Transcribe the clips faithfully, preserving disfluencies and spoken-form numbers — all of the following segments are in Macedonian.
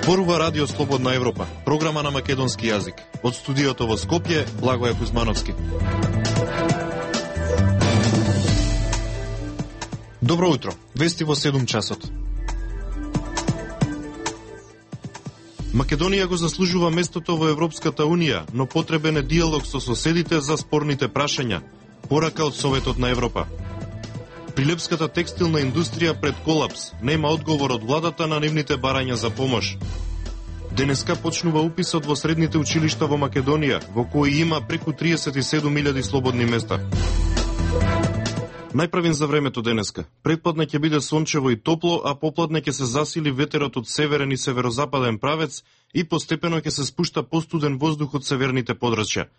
Зборува Радио Слободна Европа, програма на македонски јазик. Од студиото во Скопје, Благоје Кузмановски. Добро утро, вести во седум часот. Македонија го заслужува местото во Европската Унија, но потребен е диалог со соседите за спорните прашања. Порака од Советот на Европа. Прилепската текстилна индустрија пред колапс, нема одговор од владата на нивните барања за помош. Денеска почнува уписот во средните училишта во Македонија, во кои има преку триесет и седум илјади слободни места. Најправен за времето денеска. Предпладне ќе биде сончево и топло, а попладне ќе се засили ветерот од северен и северозападен правец и постепено ќе се спушта постуден воздух од северните подрачја.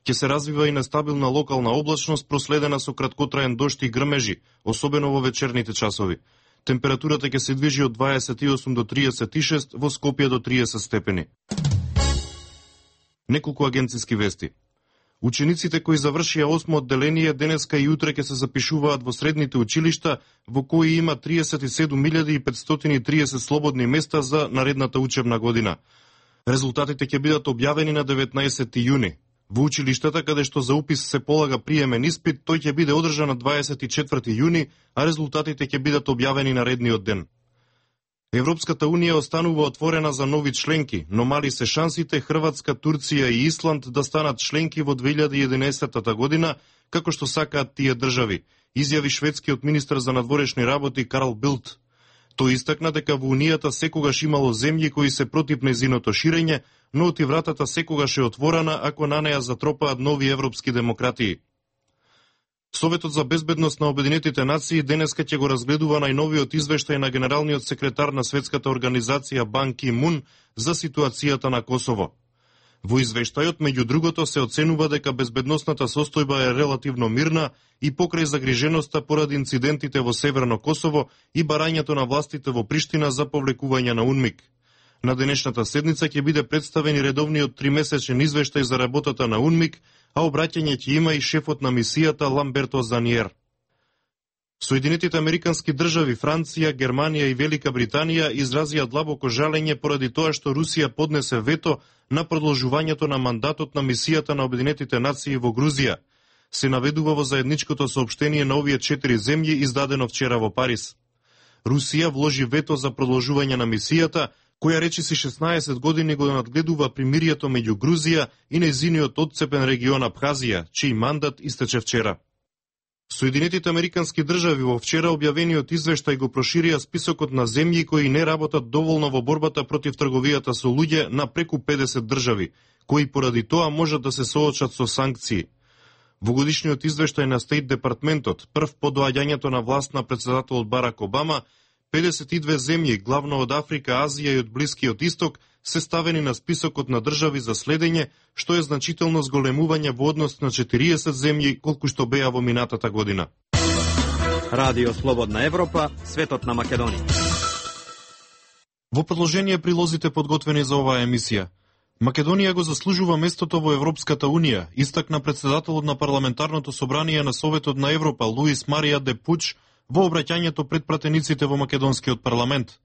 Ќе се развива и нестабилна локална облачност проследена со краткотраен дожд и грмежи, особено во вечерните часови. Температурата ќе се движи од дваесет и осум до триесет и шест, во Скопје до триесет степени. Неколку агенциски вести. Учениците кои завршија осмо одделение денеска и утре ќе се запишуваат во средните училишта, во кои има триесет и седум илјади и петстотини и триесет слободни места за наредната учебна година. Резултатите ќе бидат објавени на деветнаесети јуни. Во училиштата каде што за упис се полага приемен испит, тој ќе биде одржан на дваесет и четврти јуни, а резултатите ќе бидат објавени наредниот ден. Европската Унија останува отворена за нови членки, но мали се шансите Хрватска, Турција и Исланд да станат членки во две илјади и единаесетта година, како што сакаат тие држави, изјави шведскиот министар за надворешни работи Карл Билт. Тој истакна дека во Унијата секогаш имало земји кои се против нејзиното ширење, но оти вратата секогаш е отворена ако на неја затропаат нови европски демократии. Советот за безбедност на Обединетите нации денеска ќе го разгледува најновиот извештај на генералниот секретар на Светската организација Бан Ки Мун за ситуацијата на Косово. Во извештајот, меѓу другото, се оценува дека безбедносната состојба е релативно мирна и покрај загриженоста поради инцидентите во Северно Косово и барањето на властите во Приштина за повлекување на УНМИК. На денешната седница ќе биде представен и редовниот тримесечен извештај за работата на УНМИК, а обраќање ќе има и шефот на мисијата Ламберто Заниер. Соединетите Американски држави, Франција, Германија и Велика Британија изразија длабоко жалење поради тоа што Русија поднесе вето на продолжувањето на мандатот на мисијата на Обединетите нации во Грузија. Се наведува во заедничкото соопштение на овие четири земји издадено вчера во Париз. Русија вложи вето за продолжување на мисијата, која речиси шеснаесет години го надгледува примирието меѓу Грузија и нејзиниот одцепен регион Абхазија, чиј мандат истече вчера. Соединетите Американски држави во вчера објавениот извештај го проширија списокот на земји кои не работат доволно во борбата против трговијата со луѓе на преку педесет држави, кои поради тоа можат да се соочат со санкции. Во годишниот извештај на Стейт Департментот, прв по доаѓањето на власт на председателот Барак Обама, педесет и две земји, главно од Африка, Азија и од Блискиот Исток, се ставени на списокот на држави за следење, што е значително зголемување во однос на четириесет земји, колку што беа во минатата година. Радио Слободна Европа, светот на Македонија. Во продолжение прилозите подготвени за оваа емисија. Македонија го заслужува местото во Европската Унија, истакна председателот на парламентарното собрание на Советот на Европа Луис Марија де Пуч во обраќањето пред пратениците во македонскиот парламент.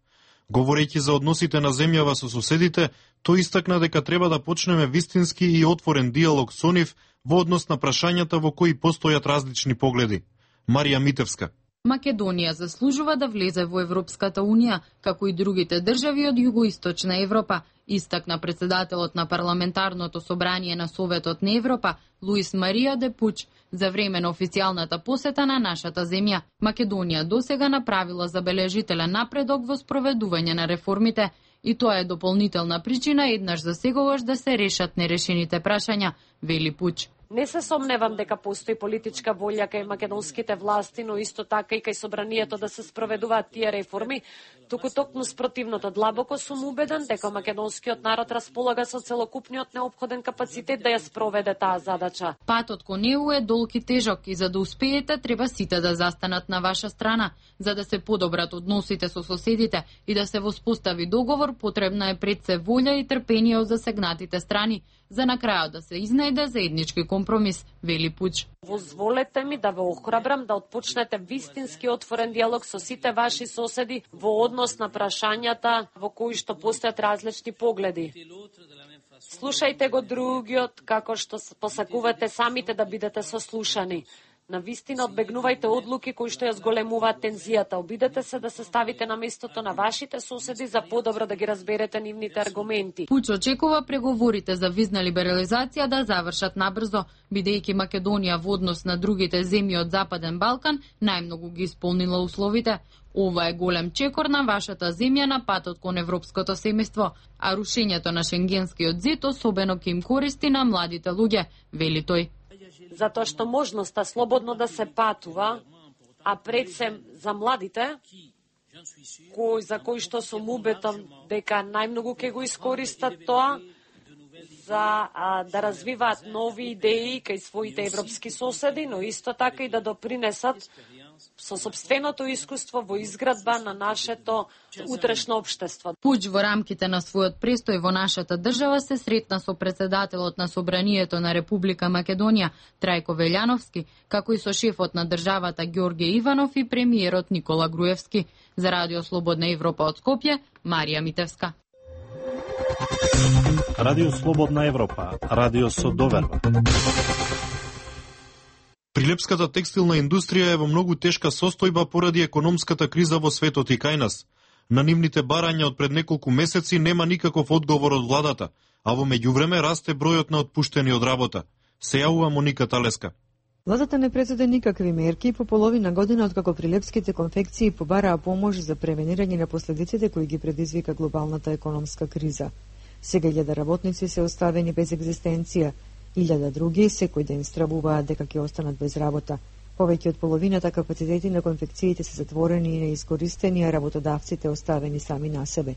Говорејќи за односите на земјава со соседите, тој истакна дека треба да почнеме вистински и отворен диалог со нив во однос на прашањата во кои постојат различни погледи. Марија Митевска. Македонија заслужува да влезе во Европската Унија, како и другите држави од југоисточна Европа, истакна председателот на парламентарното собрание на Советот на Европа Луис Марија де Пуч за време на официјалната посета на нашата земја. Македонија досега направила забележителен напредок во спроведување на реформите и тоа е дополнителна причина еднаш за секогаш да се решат нерешените прашања, вели Пуч. Не се сомневам дека постои политичка волја кај македонските власти, но исто така и кај собранието да се спроведуваат тие реформи, туку токму спротивното. Длабоко сум убеден дека македонскиот народ располага со целокупниот неопходен капацитет да ја спроведе таа задача. Патот кон Е У е долг и тежок и за да успеете треба сите да застанат на ваша страна. За да се подобрат односите со соседите и да се воспостави договор, потребна е пред се волја и трпение од засегнатите страни, за на крајот да се изнајде заеднички компромис, вели Пуч. Позволете ми да ве охрабрам да отпочнете вистински отворен диалог со сите ваши соседи во однос на прашањата во кои што постојат различни погледи. Слушајте го другиот како што посакувате самите да бидете сослушани. На вистина одбегнувајте одлуки кои што ја зголемуваат тензијата. Обидете се да се ставите на местото на вашите соседи за подобро да ги разберете нивните аргументи. Пуч очекува преговорите за визна либерализација да завршат набрзо, бидејќи Македонија во однос на другите земји од Западен Балкан најмногу ги исполнила условите. Ова е голем чекор на вашата земја на патот кон европското семејство, а рушењето на шенгенскиот зид особено ќе им користи на младите луѓе, вели тој. Затоа што можноста слободно да се патува, а пред се за младите, кои, за кои што сум убеден дека најмногу ќе го искористат тоа, за а, да развиваат нови идеи кај своите европски соседи, но исто така и да допринесат со собственото искуство во изградба на нашето утрешно општество. Пуч во рамките на својот престој во нашата држава се сретна со председателот на Собранието на Република Македонија Трајко Велјановски, како и со шефот на државата Ѓорѓе Иванов и премиерот Никола Груевски. За Радио Слободна Европа од Скопје, Марија Митевска. Радио Слободна Европа, радио со доверба. Прилепската текстилна индустрија е во многу тешка состојба поради економската криза во светот и кај нас. На нивните барања од пред неколку месеци нема никаков одговор од владата, а во меѓувреме расте бројот на отпуштени од работа. Се јавува Моника Талеска. Владата не предзеде никакви мерки по половина година откако прилепските конфекции побараа помош за превенирање на последиците кои ги предизвика глобалната економска криза. Сега илјада работници се оставени без екзистенција, илјада други секој ден стравуваат дека ќе останат без работа. Повеќе од половината капацитети на конфекциите се затворени и неискористени, а работодавците оставени сами на себе.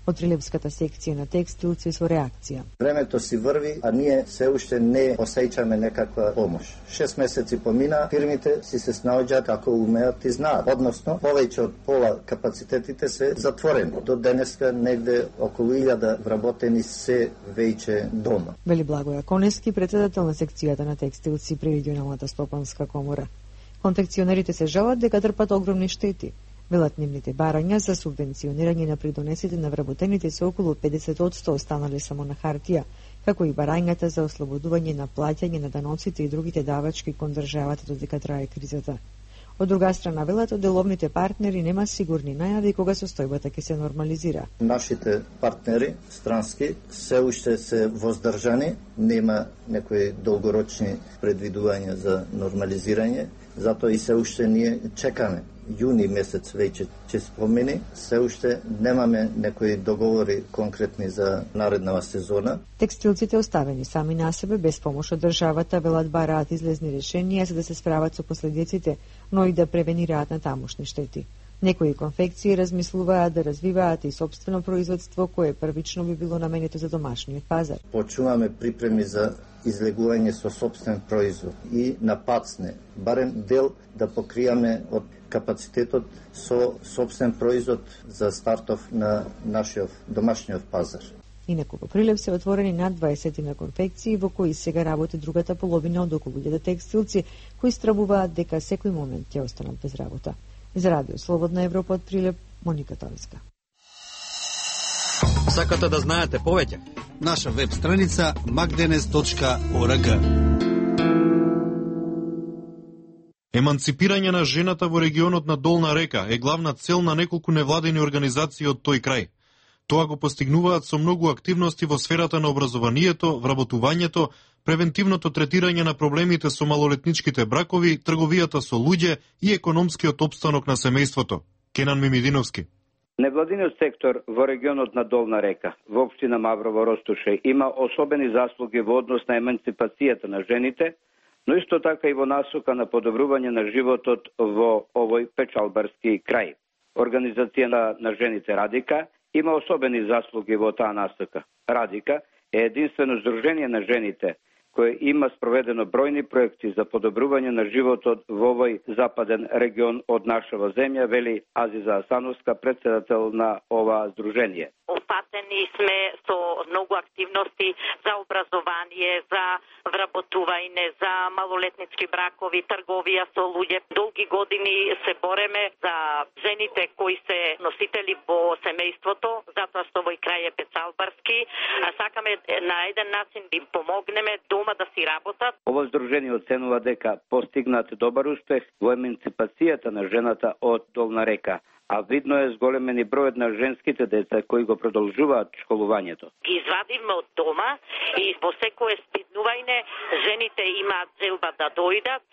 Од Прилепската секција на текстилци со реакција. Времето си врви, а ние се уште не осеќаме некаква помош. Шест месеци помина, фирмите си се снаоѓаат ако умеат и знаат. Односно, повеќе од пола капацитетите се затворени. До денеска негде околу илјада вработени се веќе дома. Вели Благоја Конески, председател на секцијата на текстилци при регионалната стопанска комора. Конфекционерите се жалат дека трпат огромни штети. Велат нивните барања за субвенционирање на придонесите на вработените се околу педесет одсто останале само на хартија, како и барањата за ослободување на плаќање на даноците и другите давачки кон државата додека трае кризата. Од друга страна, велат од деловните партнери нема сигурни најави кога состојбата ќе се нормализира. Нашите партнери странски се уште се воздржани, нема некои долгорочни предвидувања за нормализирање, затоа и се уште ние чекаме. Јуни месец веќе ќе спомени, се уште немаме некои договори конкретни за нареднава сезона. Текстилците оставени сами на себе без помош од државата велат бараат излезни решенија за да се справат со последиците, но и да превенираат на тамошни штети. Некои конфекции размислуваат да развиваат и собствено производство кое првично би било наменето за домашниот пазар. Почуваме припреми за излегување со собствен производ и на пат сме, барем дел да покријаме од капацитетот со собствен производ за стартов на нашиот домашниот пазар. Инаку во Прилеп се отворени над дваесет на конфекции во кои сега работи другата половина од околу илјада текстилци кои стравуваат дека секој момент ќе останат без работа. За Радио Слободна Европа од Прилеп, Моника Талеска. Сакате да знаете повеќе? Наша веб страница magdenes точка org. Еманципирање на жената во регионот на Долна река е главна цел на неколку невладени организации од тој крај. Тоа го постигнуваат со многу активности во сферата на образованието, вработувањето, превентивното третирање на проблемите со малолетничките бракови, трговијата со луѓе и економскиот опстанок на семејството. Кенан Мимидиновски. Невладиниот сектор во регионот на Долна река, во општина Маврово Ростуше, има особени заслуги во однос на еманципацијата на жените, но исто така и во насока на подобрување на животот во овој печалбарски крај. Организација на жените Радика има особени заслуги во таа насока. Радика е единствено здружение на жените кој има спроведено бројни проекти за подобрување на животот во овој западен регион од нашава земја, вели Азиза Асановска, председател на ова здружение. Опатени сме со многу активности за образование, за вработување, за малолетнички бракови, трговија со луѓе. Долги години се бореме за жените кои се носители во семејството, затоа што овој крај е пецалбарски, а сакаме на еден начин да им помогнеме дома да си работат. Ово здружение оценува дека постигнат добар успех во емансипацијата на жената од Долна река, а видно е зголемени бројот на женските деца кои го продолжуваат школувањето. Ги извадивме од дома и во секое спиднување жените имаат желба да дојдат.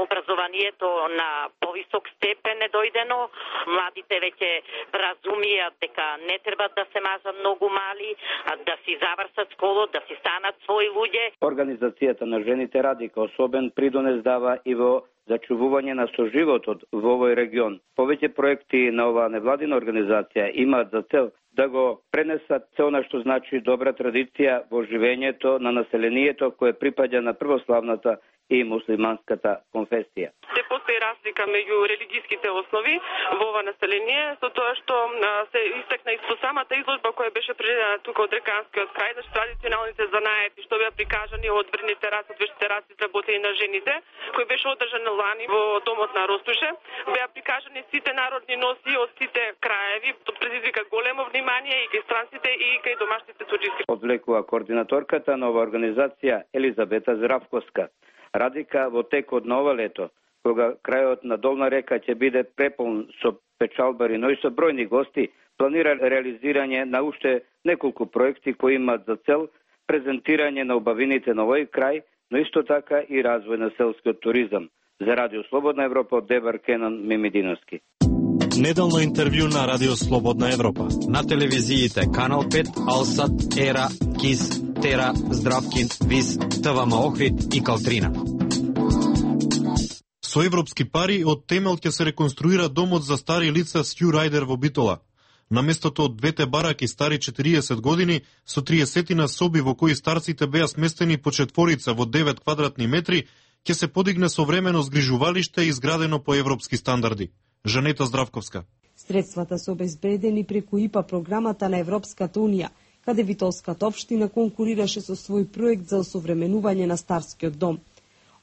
Образованието на повисок степен е дојдено. Младите веќе разумијат дека не треба да се мажат многу мали, а да си завршат школу, да си станат своји луѓе. Организацијата на жените Радика особен придонес дава и во зачувување на соживотот во овој регион. Повеќе проекти на оваа невладина организација имаат за цел да го пренесат се она што значи добра традиција во живењето на населението кое припаѓа на православната и муслиманската конфесија. Се постои разлика меѓу религиските основи во ова население, со тоа што се истакна и со самата изложба која беше предадена тука од Реканскиот крај, значи традиционалните занаети што беа прикажани од врните раси, од вештите раси изработени на жените, кој беше одржан лани во домот на Ростуше, беа прикажани сите народни носи од сите краеви, тоа предизвика големо внимание и кај странците и кај домашните суџисти. Одвлекува координаторката на ова организација Елизабета Здравковска. Радика во текот на ова лето, кога крајот на Долна река ќе биде преполн со печалбари, но и со бројни гости, планира реализирање на уште неколку проекти кои имаат за цел презентирање на убавините на овој крај, но исто така и развој на селскиот туризам. За Радио Слободна Европа од Дебар Кенан Мимидиновски. Неделно интервју на Радио Слободна Европа. На телевизиите Канал пет, Алсат, Ера, Кис, Тера, Здравкин, Виз, ТВМ Охрид и Калтрина. Со европски пари од темел ќе се реконструира домот за стари лица Сју Рајдер во Битола. На местото од двете бараки стари четириесет години, со триесет соби во кои старците беа сместени по четворица во девет квадратни метри, ќе се подигне современо згрижувалиште изградено по европски стандарди. Жанета Здравковска. Средствата се обезбедени преку ИПА програмата на Европската унија, каде Витолската општина конкурираше со свој проект за осовременување на старскиот дом.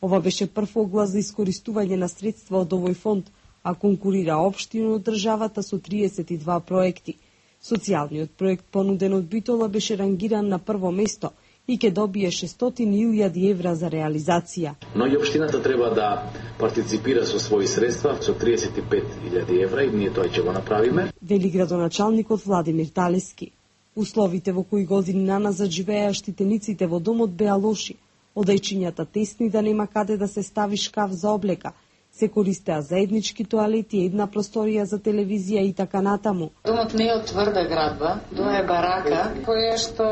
Ова беше прв оглас за искористување на средства од овој фонд, а конкурира општина од државата со триесет и два проекти. Социјалниот проект понуден од Битола беше рангиран на прво место и ќе добие шестстотини илјади евра за реализација. Но и општината треба да партиципира со своји средства, со триесет и пет илјади евра, и ние тоа ќе го направиме. Вели градоначалникот Владимир Талески. Условите во кои години наназад живееа штитениците во домот беа лоши. Одајчињата тесни да нема каде да се стави шкаф за облека. Се користеа заеднички тоалети, една просторија за телевизија и така натаму. Домот не е од тврда градба, тоа е барака, која што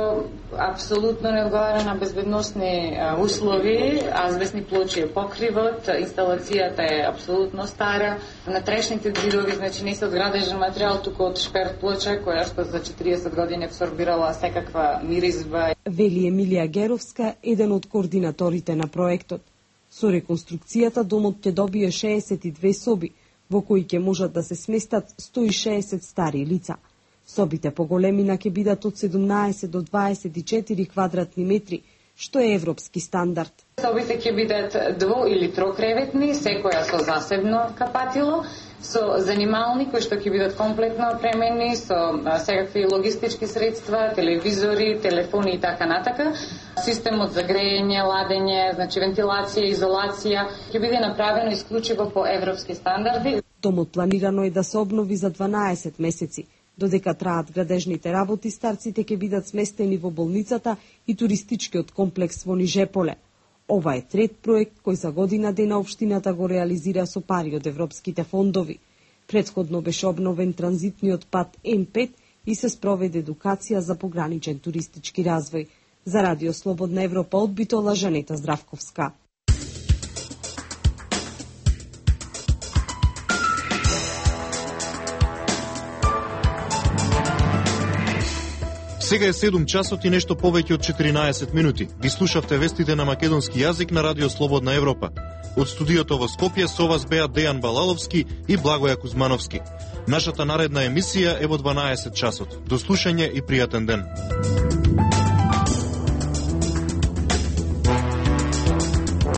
апсолутно не одговара на безбедносни услови, азбестни плочи е покривот, инсталацијата е апсолутно стара, натрешните ѕидови, значи не се од градежен материјал, туку од шперт плоча, која што за четириесет години абсорбирала секаква миризба. Вели Емилија Геровска, еден од координаторите на проектот. Со реконструкцијата домот ќе добие шеесет и две соби, во кои ќе можат да се сместат сто и шеесет стари лица. Собите по големина ќе бидат од седумнаесет до дваесет и четири квадратни метри, што е европски стандард. Собите ќе бидат дво- или трокреветни, секоја со засебно капатило, со занимални кои што ќе бидат комплетно опремени, со секакви логистички средства, телевизори, телефони и така натака. Системот за грејење, ладење, значи вентилација, изолација ќе биде направено исклучиво по европски стандарди. Домот планирано е да се обнови за дванаесет месеци. Додека траат градежните работи, старците ќе бидат сместени во болницата и туристичкиот комплекс во Нижеполе. Ова е трет проект кој за година дена општината го реализира со пари од европските фондови. Претходно беше обновен транзитниот пат М пет и се спроведе едукација за пограничен туристички развој. За Радио Слободна Европа од Битола, Жанета Здравковска. Сега е седум часот и нешто повеќе од четиринаесет минути. Ви слушавте вестите на македонски јазик на Радио Слободна Европа. Од студиото во Скопје со вас беа Дејан Балаловски и Благоја Кузмановски. Нашата наредна емисија е во дванаесет часот. До слушање и пријатен ден.